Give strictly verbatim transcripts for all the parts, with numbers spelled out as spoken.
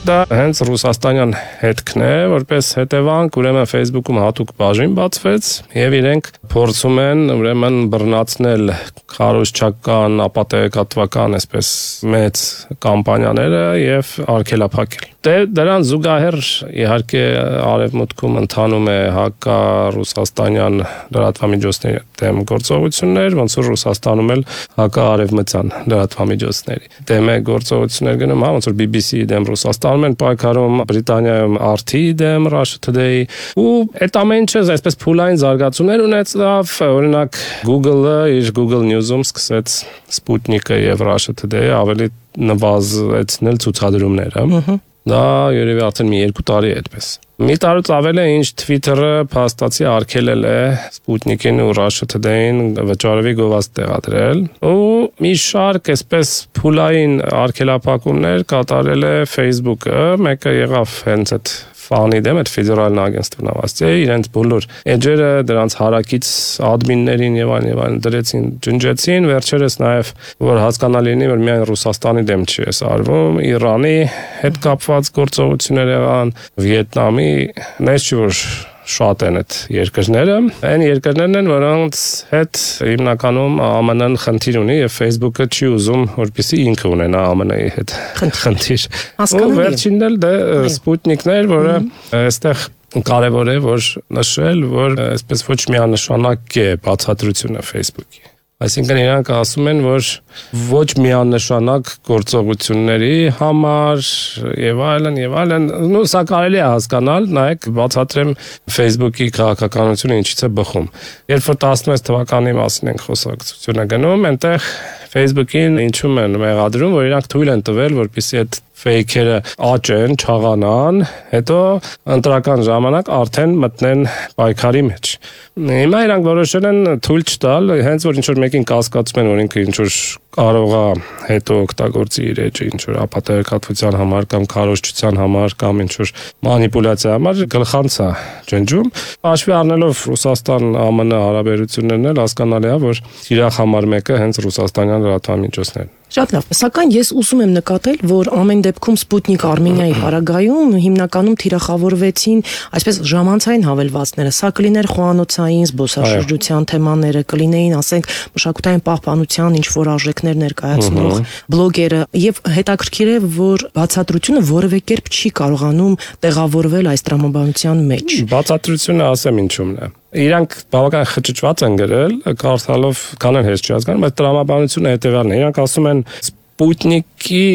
Դա հենց ռուսաստանյան հետքն է, որպես հետևանք, ուրեմն Facebook-ում հատուկ բաժին բացվեց եւ իրենք փորձում են ուրեմն բռնացնել քարոզչական, ապատեգատվական, այսպես մեծ կամպանիաները եւ արգելափակել։ Դե դրան զուգահեռ իհարկե արևմուտքում ընթանում է հակառուսաստանյան լրատվամիջոցների դեմ գործողություններ, ոնց որ Ռուսաստանում էլ հակաարևմտյան լրատվամիջոցների դեմ է գործողություններ գնում, հա, ոնց որ B B C-ի դեմ Ռուսաստանում են պայքարում, Բրիտանիայում R T-ի դեմ, Russia Today-ի, ու այդ ամեն ինչը այսպես փուլային զարգացումներ ունեցավ, օրինակ Google-ը իր Google News-ում սկսեց Sputnik-ը եւ Russia Today-ը ավելի նվազեցնել ցուցադրումները։ Դա երևի արդեն մի երկու տարի է այդպես։ Մի տարուց ավել է, ինչ Twitter-ը փաստացի արգելել է Sputnik-ին ու Russia Today-ին վճարովի գովազդ տեղադրել, ու մի շարք այսպես փուլային արգելափակումներ կատարել է Facebook-ը, մեկը եղավ հենց այդ ֆանի դեմ, այդ ֆեդերալ агентство նավաստի, իրենց բոլոր էջերը դրանց հարակից ադմիններին եւ այլն եւ այլն դրեցին, ջնջեցին, վերջերս նաեւ որ հասկանալի լինի, որ միայն Ռուսաստանի դեմ չի էս արվում, Իրանի հետ կապված գործողություններ եղան, Վիետնամի, նես չի որ շատ են այդ երկրները, այն երկրներն են, որոնց հետ հիմնականում A M N-ն խնդիր ունի եւ Facebook-ը չի ուզում, որպեսզի ինքը ունենա A M N-ի հետ խնդիր։ Ու վերջինն էլ դա Sputnik-ն էր, որը այստեղ կարևոր է որ նշել, որ այսպես ոչ միանշանակ է բացատրությունը Facebook-ի։ Այսինքն իրանք ասում են, որ ոչ միանշանակ գործողությունների համար եւ այլն եւ այլն, նո սա կարելի է հասկանալ, նայեք բացատրեմ Facebook-ի քաղաքականությունը ինչից է բխում։ Երբ որ տասնվեց թվականի մասին ենք խոսակցությունը գնում, այնտեղ Facebook-ին ինչու են մեղադրում, որ իրանք թույլ են տվել, որպեսզի այդ fake-երը աճեն, չաղանան, հետո ընտրական ժամանակ արդեն մտնեն պայքարի մեջ։ Հիմա իրանք որոշել են թույլ չտալ, հենց որ ինչ-որ մեկին կասկածում են, որ ինքը ինչ-որ կարող է հետո օգտագործի իր էջը ինչ-որ ապատեգատվության համար կամ քարոզչության համար կամ ինչ-որ մանիպուլյացիա համար գլխանց է ջնջում։ Հաշվի առնելով Ռուսաստան-A M N հարաբերություններն էլ հասկանալի է, որ իրախ համար մեկը հենց ռուսաստանյան լրատվամիջոցներն են։ Շատ լավ, սակայն ես ուզում եմ նկատել, որ ամեն դեպքում Sputnik Armenia-ի հարագայում հիմնականում թիրախավորվեցին այսպես ժամանցային հավելվածները, սա կլիներ խոհանոցային զբոսաշրջության թեմաները, կլինեին, ասենք, մշակութային պահպանության ինչ-որ արժեքներ ներկայացնող բլոգերը, եւ հետաքրքիր է, որ բացատրությունը որևէ կերպ չի կարողանում տեղավորվել այս տրամաբանության մեջ։ Բացատրությունը ասեմ ինչումն է։ Իրանք բավական խճճված են գրել, կարդալով կանեն հեշտ չի հասկանում, բայց տրամաբանությունը հետևյալն է։ Իրանք ասում են Sputnik-ի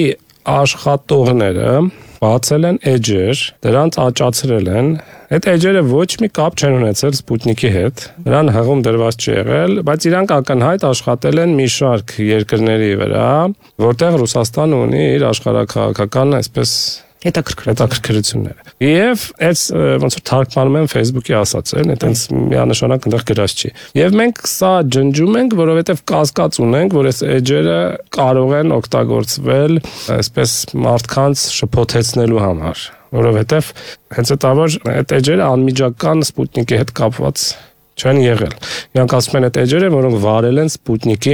աշխատողները բացել են էջեր, դրանց աճացրել են։ Այդ էջերը ոչ մի կապ չեն ունեցել Sputnik-ի հետ, նրան հղում դրված չի եղել, բայց իրանք ակնհայտ աշխատել են մի շարք երկրների վրա, որտեղ Ռուսաստանը ունի իր աշխարհաքաղաքական այսպես հետաքրքրությունները։ Եվ այս ոնց որ թարգմանում են Facebook-ի ասածն, այտենց միանշանակ այնտեղ գրած չի։ Եվ մենք սա ջնջում ենք, որովհետև կասկած ունենք, որ այս էջերը կարող են օգտագործվել այսպես մարդկանց շփոթեցնելու համար, որովհետև հենց այդ որ այդ էջերը անմիջական Sputnik-ի հետ կապված չեն եղել։ Իրանք ասում են այդ էջերը, որոնք վարել են Sputnik-ի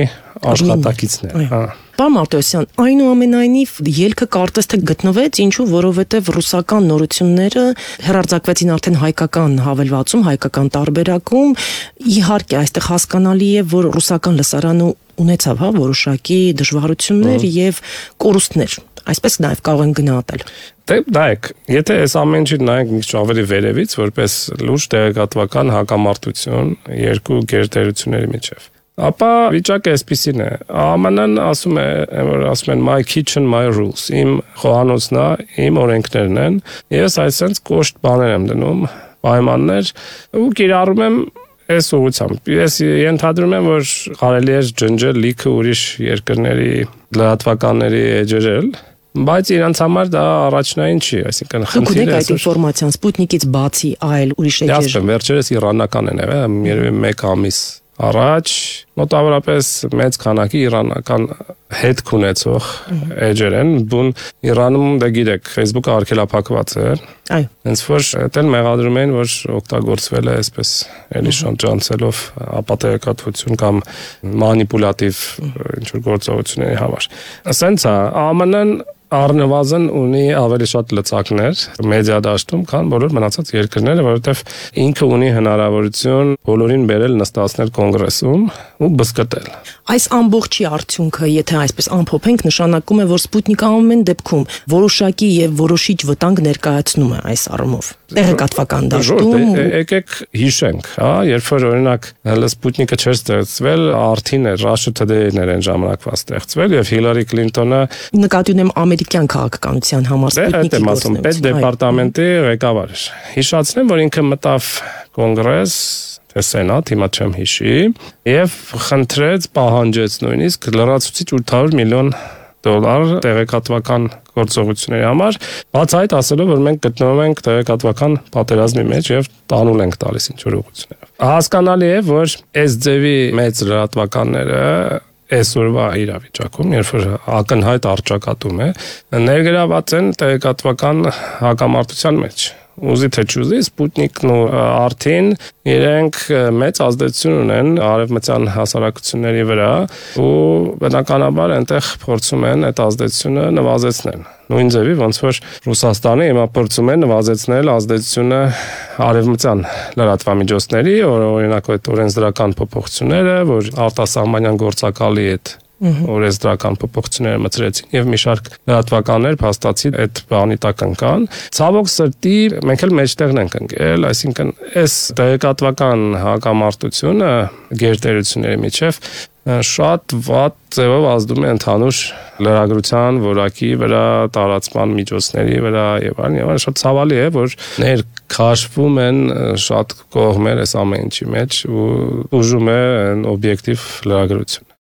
աշխատակիցներ։ Հա։ Պարոն Մարտիրոսյան, այնուամենայնիվ ելքը կարծես թե գտնվեց, ինչու, որովհետև ռուսական նորությունները հեռարձակվեցին արդեն հայկական հավելվածում, հայկական տարբերակում, իհարկե այստեղ հասկանալի է, որ ռուսական լսարանը ունեցավ, հա, որոշակի դժվարություններ եւ կորուստներ, այսպես նաեւ կարող են գնահատել։ Դե նայեք, եթե այս ամեն ինչը նայենք մի քիչ ավելի վերևից, որպես լուրջ տեղեկատվական հակամարտություն երկու գերտերությունների միջև, ապա վիճակը այսպեսին է։ A M N-ն ասում է, որ ասում են my kitchen my rules, իմ խոհանոցն է, իմ օրենքներն են, ես այսպես կոշտ բաներ եմ դնում, պայմաններ, ու կիրառում եմ այս ուղղությամբ։ Ես ենթադրում եմ, որ կարելի է ջնջել լիքը ուրիշ երկրների լրատվականների էջերել, բայց իրանց համար դա առաջնային չի, այսինքն խնդիրը։ Դուք ունեք այդ ինֆորմացիան Sputnik-ից բացի այլ ուրիշ էջեր։ Ասեմ, վերջերս իրանական են եղել, երևի մեկ ամիս առաջ մոտավորապես մեծ քանակի իրանական հետք ունեցող էջեր են, բուն Իրանում դե գիտեք, Facebook-ը արգելափակված է։ Այո։ Հենց որ այդեն մեղադրում են, որ օգտագործվել է այսպես էլի շանճանցելով ապատեգատվություն կամ մանիպուլատիվ ինչ որ գործողությունների համար։ Ասենց է, A M N-ն առնվազն ունի ավելի շատ լծակներ մեդիա դաշտում, քան բոլոր մնացած երկրները, որովհետև ինքը ունի հնարավորություն բոլորին բերել նստացնել կոնգրեսում ու բզկտել։ Այս ամբողջի արդյունքը, եթե այսպես ամփոփենք, նշանակում է, որ Սպուտնիկը ամեն դեպքում որոշակի եւ որոշիչ վտանգ ներկայացնում է այս առումով։ Տեղեկատվական դաշտում եկեք հիշենք, հա, երբ որ օրինակ Սպուտնիկը չէր ստեղծվել, Արդին էր, Russia Today-ն էր այն ժամանակվա ստեղծվել եւ Հիլարի Քլինտոնը նկատի ունեմ ամերիկյան քաղաքականության համար Սպուտնիկի մասում պետդեպարտամենտի ղեկավար էր։ Հիշացնեմ, որ ինքը մտավ կոնգրես Սենատ, հիմա չեմ հիշի, եւ խնդրեց, պահանջեց նույնիսկ լրացուցիչ ութ հարյուր միլիոն դոլար տեղեկատվական գործողությունների համար, բաց այդ ասելով, որ մենք գտնվում ենք տեղեկատվական պատերազմի մեջ եւ տանուլ ենք տալիս ինչ-որ ուղղություններով։ Հասկանալի է, որ այս ձևի մեծ լրատվականները այսօրվա իրավիճակում, երբ որ ակնհայտ առճակատում է, ներգրաված են տեղեկատվական հակամարտության մեջ։ Ուզի թե չուզի, Սպուտնիկն ու Արդին իրենք մեծ ազդեցություն ունեն արևմտյան հասարակությունների վրա ու բնականաբար այնտեղ փորձում են այդ ազդեցությունը նվազեցնել։ Նույն ձևի ոնց որ Ռուսաստանը հիմա փորձում է նվազեցնել ազդեցությունը արևմտյան լրատվամիջոցների, օրինակ այդ օրենսդրական փոփոխությունները, որ արտասահմանյան գործակալի հետ օրենսդրական փոփոխությունները մտցրեցին եւ մի շարք լրատվականներ փաստացի այդ բանի տակ ընկան։ Ցավոք սրտի մենք էլ մեջտեղն ենք ընկել, այսինքն այս տեղեկատվական հակամարտությունը գերտերությունների միջև շատ վատ ձևով ազդում է ընդհանուր լրագրության որակի վրա, տարածման միջոցների վրա եւ այլն, եւ այլն շատ ցավալի է, որ ներքաշվում են շատ կողմեր այս ամեն ինչի մեջ ու ուժում է օբյեկտիվ լրագրություն։